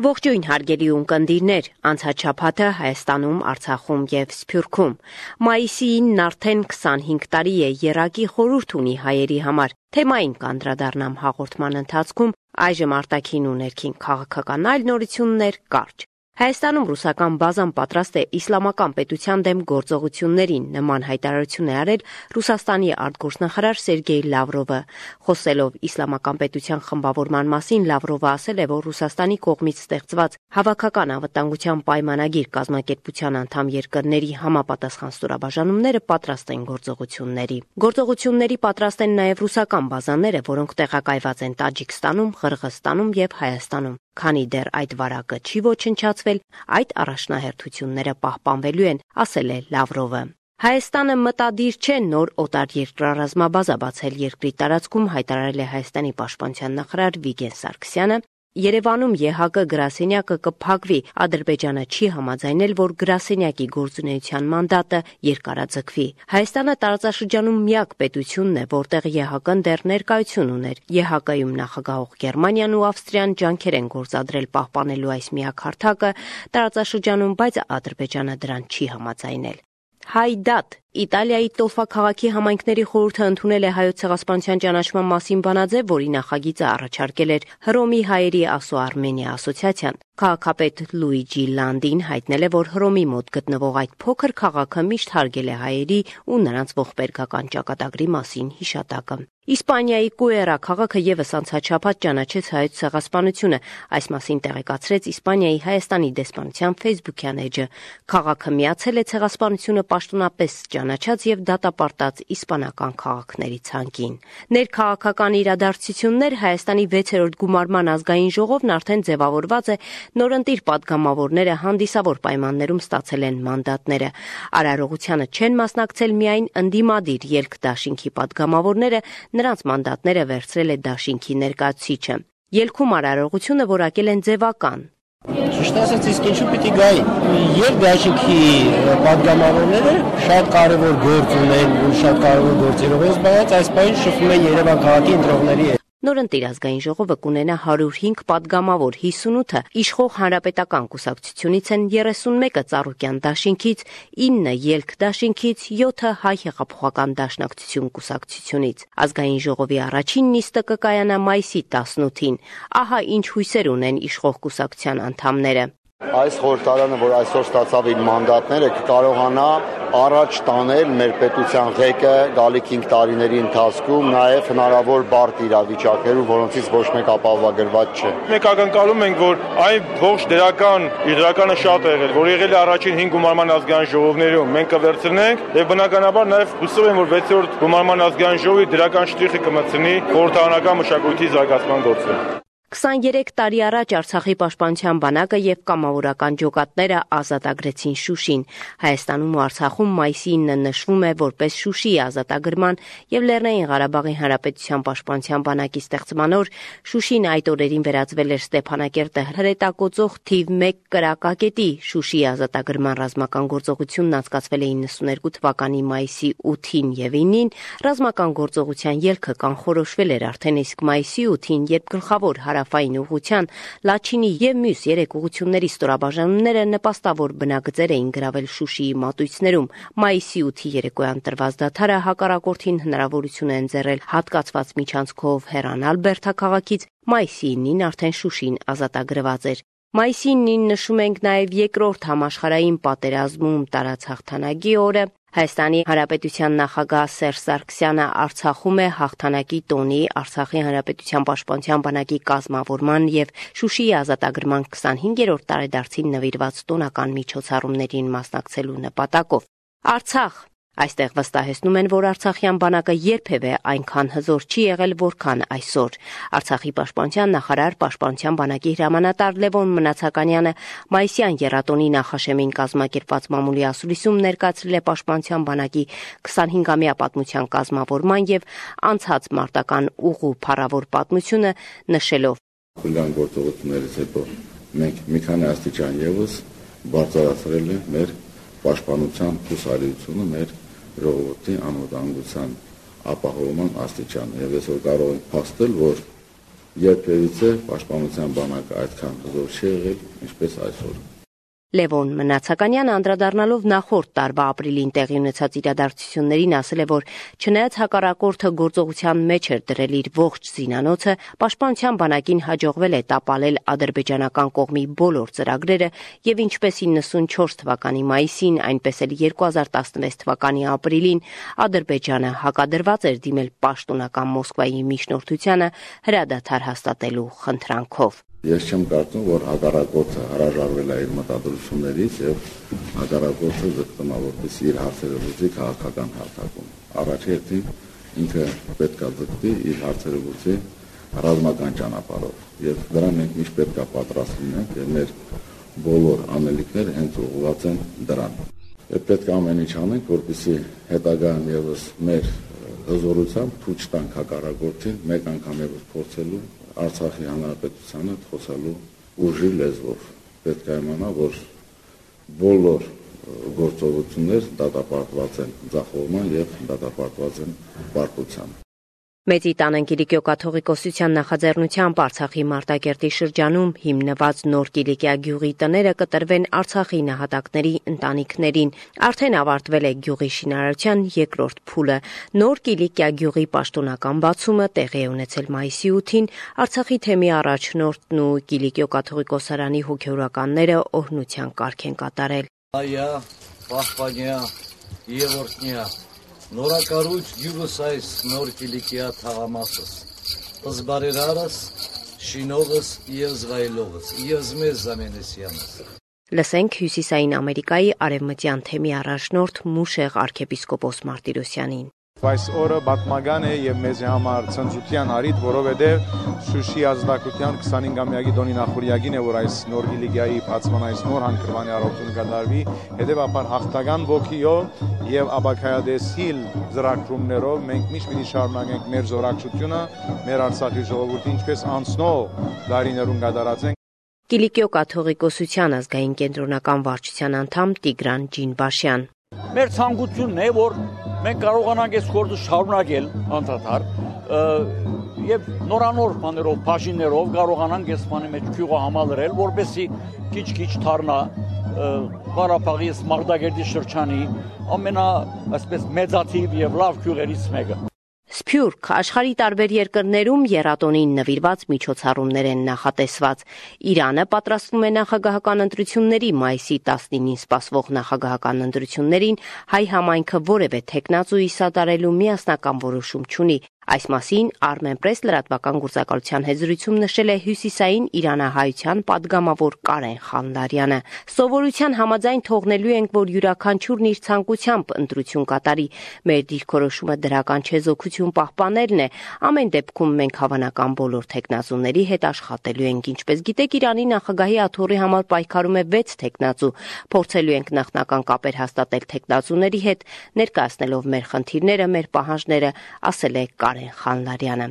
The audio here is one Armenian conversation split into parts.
Ողջույն հարգելի ունկնդիրներ, անցած շաբաթը Հայաստանում, Արցախում եւ Սփյուռքում։ Մայիսի 9-ն արդեն 25 տարի է եռակի խորհուրդ ունի հայերի համար։ Թեմային կանդրադառնամ հաղորդման ընթացքում, այժմ արտաքին ու ներքին քաղաքական այլ նորություններ կարճ։ Հայաստանում ռուսական բազան պատրաստ է իսլամական պետության դեմ գործողություններին, նման հայտարարություն է արել Ռուսաստանի արտգործնախարար Սերգեյ Լավրովը։ Խոսելով իսլամական պետության խմբավորման մասին, Լավրովը ասել է, որ Ռուսաստանի կողմից ստեղծված հավաքական անվտանգության պայմանագիր կազմակերպության անդամ երկրների համապատասխան ստորաբաժանումները պատրաստ են գործողությունների։ Գործողությունների պատրաստ են նաև ռուսական բազաները, որոնք տեղակայված են Տաջիկստանում, Ղրղըզստանում եւ Հայաստանում։ Քանի դեռ այդ վարակը չի ոչնչացվել, այդ առաջնահերթությունները պահպանվելու են, ասել է Լավրովը։ Հայաստանը մտադիր չէ նոր օտարերկրառազմաբազա բացել երկրի տարածքում, հայտարարել է Հայաստանի պաշտպանության նախարար Վիգեն Սարգսյանը։ Երևանում ԵՀԿ գրասենյակը կփակվի, Ադրբեջանը չի համաձայնել, որ գրասենյակի գործունեության մանդատը երկարաձգվի։ Հայաստանը տարածաշրջանում միակ պետությունն է, որտեղ ԵՀԿ-ն դեռ ներկայություն ուներ։ ԵՀԿ-յում նախագահող Գերմանիան ու Ավստրիան ջանքեր են գործադրել պահպանելու այս միակ հարթակը տարածաշրջանում, բայց Ադրբեջանը դրան չի համաձայնել։ Հայդատ Իտալիայի Տոֆա քաղաքի համայնքների խորհուրդը ընդունել է Հայոց ցեղասպանության ճանաչման մասին բանաձև, որի նախագիծը առաջարկել էր Հռոմի հայերի Ասո-Արմենիա ասոցիացիան։ Քաղաքապետ Լուիջի Լանդին հայտնել է, որ Հռոմի մոտ գտնվող այդ փոքր քաղաքը միշտ հարգել է հայերի ու նրանց ողբերգական ճակատագրի մասին հիշատակը։ Իսպանիայի Կուերա քաղաքը եւս անցած շաբաթ ճանաչեց Հայոց ցեղասպանությունը, այս մասին տեղեկացրեց Իսպանիայի Հայաստանի դեսպանության Facebook-յան էջը։ Քաղաքը միացել է ցեղասպանությունը պաշտոնապես ճանաչած եւ դատապարտած իսպանական քաղաքների ցանկին։ Ներքաղաքական իրադարձություններ Հայաստանի 6-րդ գումարման ազգային ժողովն արդեն ձևավորված է, նորընտիր падգամավորները հանդիսավոր պայմաններում ստացել են մանդատները։ Արարողությանը չեն մասնակցել միայն ընդդիմադիր ելք դաշինքի падգամավորները, նրանց մանդատները վերցրել է դաշինքի ներկայացուցիչը։ Ելքում արարողությունը որակել են ձևական։ Ճիշտ ասած, իսկ ինչու պիտի գային։ Երբ դաշինքի падգամավորները շատ կարևոր գործ ունեն ու շատ կարևոր գործերով են զբաղված, այս պահին շփվում են Երևան քաղաքի ընտրողների հետ։ Նորընտիր ազգային ժողովը կունենա 105 падգամավոր, 58-ը իշխող հանրապետական կուսակցությունից են, 31-ը Ծառուկյան դաշինքից, 9-ը Ելք դաշինքից, 7-ը Հայ հեղափոխական դաշնակցություն կուսակցությունից։ Ազգային ժողովի առաջին նիստը կկայանա մայիսի 18-ին։ Ահա ինչ հույսեր ունեն իշխող կուսակցության անդամները։ Այս խորհրդարանը, որ այսօր ստացավ իր մանդատները, կկարողանա առաջ տանել մեր պետության ղեկը գալիք 5 տարիների ընթացքում, նաև հնարավոր բարդ իրավիճակներում, որոնցից ոչ մեկ ապահովագրված չէ։ Մենք ակնկալում ենք, որ այն ողջ դրականը շատ է եղել, որ եղել է առաջին 5 գումարման ազգային ժողովներում, մենք կվերցնենք եւ բնականաբար նաև հուսով եմ, որ 6-րդ գումարման ազգային ժողովի դրական շտրիխը կմտցնի խորհրդարանական մշակույթի զարգացման գործում։ 23 տարի առաջ Արցախի պաշտպանության բանակը եւ կամավորական ջոկատները ազատագրեցին Շուշին։ Հայաստանում ու Արցախում մայիսի 9-ը նշվում է որպես Շուշիի ազատագրման եւ Լեռնային Ղարաբաղի Հանրապետության պաշտպանության բանակի ստեղծման օր։ Շուշին այդ օրերին վերածվել էր Ստեփանակերտը հրետակոծող թիվ 1 կրակակետի։ Շուշիի ազատագրման ռազմական գործողությունն անցկացվել է 92 թվականի մայիսի 8-ին եւ 9-ին։ Ռազմական գործողության ելքը կանխորոշվել էր արդեն, իսկ մայիսի 8-ին, երբ գլխավոր հարավային ուղղության Լաչինի եւ մյուս 3 ուղղությունների ստորաբաժանումները նպաստավոր բնագծեր էին գրավել Շուշիի մատույցներում։ Մայիսի 8-ի երեկոյան տրված դադարը հակառակորդին հնարավորություն է ընձեռել հատկացված միջանցքով հեռանալ Բերդաքաղաքից։ Մայիսի 9-ին արդեն Շուշին ազատագրված էր։ Մայիսի 9-ին նշում ենք նաև երկրորդ համաշխարհային պատերազմում տարած հաղթանակի օրը։ Հայաստանի Հանրապետության նախագահ Սերժ Սարգսյանը Արցախում է հաղթանակի տոնի, Արցախի Հանրապետության պաշտպանության բանակի կազմավորման եւ Շուշիի ազատագրման 25-րդ տարեդարձին նվիրված տոնական միջոցառումներին մասնակցելու նպատակով։ Արցախ Այստեղ վստահեցնում են, որ Արցախյան բանակը երբևէ այնքան հզոր չի եղել, որքան այսօր։ Արցախի պաշտպանության նախարար, պաշտպանության բանակի հրամանատար Լևոն Մնացականյանը մայիսյան եռատոնի նախաշեմին կազմակերպված մամուլի ասուլիսում ներկայացրել է պաշտպանության բանակի 25-ամյա պատմության կազմավորման եւ անցած մարտական ուղու փառավոր պատմությունը, նշելով. Հուլիան գործողություններից հետո մենք մի քանի աստիճան եւս բարձրացրել ենք մեր պաշտպանության հուսալիությունը, մեր ժողովրդի անվտանգության ապահովման աստիճանը եւ այսօր կարող ենք փաստել, որ երբևիցե պաշտպանության բանակը այդքան հզոր չի եղել, ինչպես այսօր։ Լևոն Մնացականյանը անդրադառնալով նախորդ տարվա ապրիլին տեղի ունեցած իրադարձություններին ասել է, որ չնայած հակառակորդը գործողության մեջ էր դրել իր ողջ զինանոցը, պաշտպանության բանակին հաջողվել է տապալել ադրբեջանական կողմի բոլոր ծրագրերը եւ ինչպես 94 թվականի մայիսին, այնպես էլ 2016 թվականի ապրիլին Ադրբեջանը հակադրված էր դիմել պաշտոնական Մոսկվայի միջնորդությանը հրադադար հաստատելու խնդրանքով։ Ես չեմ կարծում, որ հակառակորդը հրաժարվել է իր մտադրություններից եւ հակառակորդը ձգտում է որպեսզի իր հարցերը լուծի քաղաքական հարթակում։ Առաջերտին ինքը պետք է ձգտի իր հարցերը լուծի ռազմական ճանապարհով եւ դրան մենք միշտ պետք է պատրաստ լինենք եւ մեր բոլոր անելիքները հենց ուղղված են դրան։ Եվ պետք է ամեն ինչ անենք, որպեսզի հետագայում եւս մեր հզորությամբ ցույց տանք հակառակորդին մեկ անգամ եւս փորձելու Արցախի հանրապետությանը խոսալու ուժի լեզվով։ Պետք է իմանա, որ բոլոր գործողություններ դատապարտված են ձախողման եւ դատապարտված են պարտության։ Մեծի տան Կիլիկիո կաթողիկոսության նախաձեռնությամբ Արցախի Մարտակերտի շրջանում հիմնված Նոր Կիլիկիա գյուղի տները կտրվեն Արցախի նահատակների ընտանիքներին։ Արդեն ավարտվել է գյուղի շինարարության երկրորդ փուլը։ Նոր Կիլիկիա գյուղի պաշտոնական բացումը տեղի է ունեցել մայիսի 8-ին։ Արցախի թեմի առաջնորդն ու Կիլիկիո կաթողիկոսարանի հոգևորականները օրհնության կարգ են կատարել։ Այա, պահպանյա, Եվորտնյա Նորակառույց գյուղս այս Նոր Կիլիկիա թաղամասս, զբարերարս, շինողս և զվայլողս, և զմեզ զամենեսյանս։ Լսենք Հյուսիսային Ամերիկայի արևմտյան թեմի առաջնորդ Մուշեղ arczepiskopos Martirosyanին։ Այս օրը պատմական է եւ մեզ համար ցնծության առիթ, որովհետեւ Շուշի ազատագրության 25-ամյակի դոնի նախորյակին է, որ այս Նոր Կիլիկիայի բացման այս նոր հանգրվանի առողջություն կդարվի, հետեւաբար հաղթական ոգիով եւ ապակայադեսիլ ծրագրումներով մենք միշտ պիտի շարունակենք մեր զորակցությունը, մեր Արցախի ժողովրդի ինչպես անցնող դարիներուն կդարածենք։ Կիլիկիո կաթողիկոսության ազգային կենտրոնական վարչության անդամ Տիգրան Ջինբաշյան։ Մեր ցանկությունն է, որ մենք կարողանանք այս գործը շարունակել անդադար եւ նորանոր բաներով, բաժիններով կարողանանք այս բանի մեջ քյուղը համալրել, որպեսզի քիչ-քիչ դառնա Ղարաբաղի Մարտակերտի շրջանի այսպես մեծաթիվ եւ լավ քյուղերից մեկը։ Սփյուռք աշխարհի տարբեր երկրներում եռատոնին նվիրված միջոցառումներ են նախատեսված։ Իրանը պատրաստվում է նախագահական ընտրությունների մայիսի 19-ին սպասվող նախագահական ընտրություններին հայ համայնքը որևէ թեկնածուի սատարելու միասնական որոշում չունի։ Այս մասին Armenpress լրատվական գործակալության հետ զրույցում նշել է հյուսիսային իրանահայության падգամավոր Կարեն Խանլարյանը։ Սովորության համաձայն թողնելու ենք, որ յուրաքանչյուրն իր ցանկությամբ ընտրություն կատարի։ Մեր դիրքորոշումը դրական չեզոքություն պահպանելն է։ Ամեն դեպքում մենք հավանական բոլոր թեկնածուների հետ աշխատելու ենք։ Ինչպես գիտեք, Իրանի նախագահի աթոռի համար պայքարում է 6 թեկնածու։ Փորձելու ենք նախնական կապեր հաստատել թեկնածուների հետ, ներկայացնելով մեր խնդիրները, մեր պահանջները, ասել է Խանլարյանը։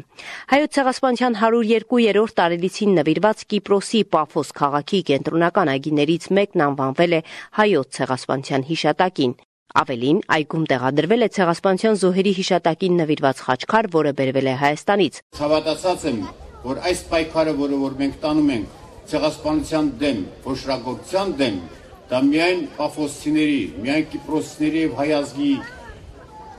Հայոց ցեղասպանության 102-րդ տարելիցին նվիրված Կիպրոսի Պաֆոս քաղաքի կենտրոնական այգիներից մեկն անվանվել է Հայոց ցեղասպանության հիշատակին։ Ավելին, այգում տեղադրվել է ցեղասպանության զոհերի հիշատակին նվիրված խաչքար, որը բերվել է Հայաստանից։ Հավատացած եմ, որ այս պայքարը, որ մենք տանում ենք ցեղասպանության դեմ, ոչրագործության դեմ, դա միայն պաֆոսցիների, միայն կիպրոսցիների եւ հայ ազգի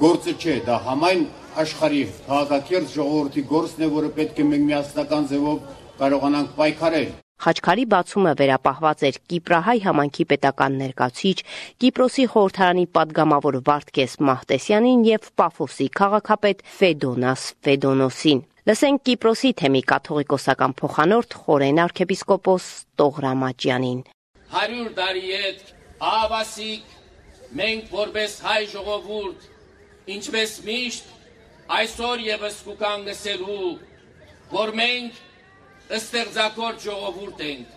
գործը չէ, դա համայն աշխարհի քաղաքակիրթ ժողովրդի գործն է, որը պետք է մենք միասնական ձևով կարողանանք պայքարել։ Խաչքարի բացումը վերապահված էր Կիպրահայ համայնքի պետական ներկայացուցիչ, Կիպրոսի խորհրդարանի падգամավոր Վարդգես Մահտեսյանին եւ Պաֆոսի քաղաքապետ Ֆեդոնաս Ֆեդոնոսին։ Լսենք Կիպրոսի թեմի կաթողիկոսական փոխանորդ Խորեն arczepiskopos Տողրամաջյանին։ 100 տարի հետ ավասիկ մենք որպես հայ ժողովուրդ, ինչպես միշտ այսօր եւս կուքան գսելու, որ մենք ստեղծագործ ժողովուրդ ենք,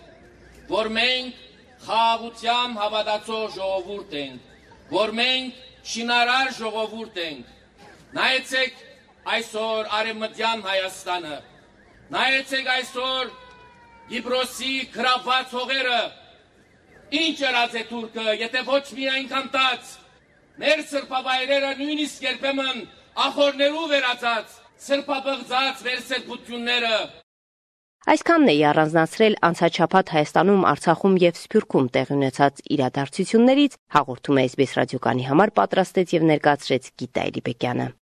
որ մենք խաղաղությամբ հավատացող ժողովուրդ ենք, որ մենք շինարար ժողովուրդ ենք։ Նայեցեք այսօր Արևմտյան Հայաստանը, նայեցեք այսօր Կիպրոսի գրավված հողերը, ինչ ելած է թուրքը, եթե ոչ միայն կանտած, մեր սրբավայրերը նույնիսկ երբեմն ախորներու վերածած, սրբաբղծած մեր սրբությունները, Այսքանն էի առանձնացրել անցաչափած Հայաստանում, Արցախում եւ Սփյուռքում տեղի ունեցած իրադարձություններից, հաղորդում է SBS ռադիոկանի համար պատրաստեց եւ ներկայացրեց Գիտա Էլիբեկյանը։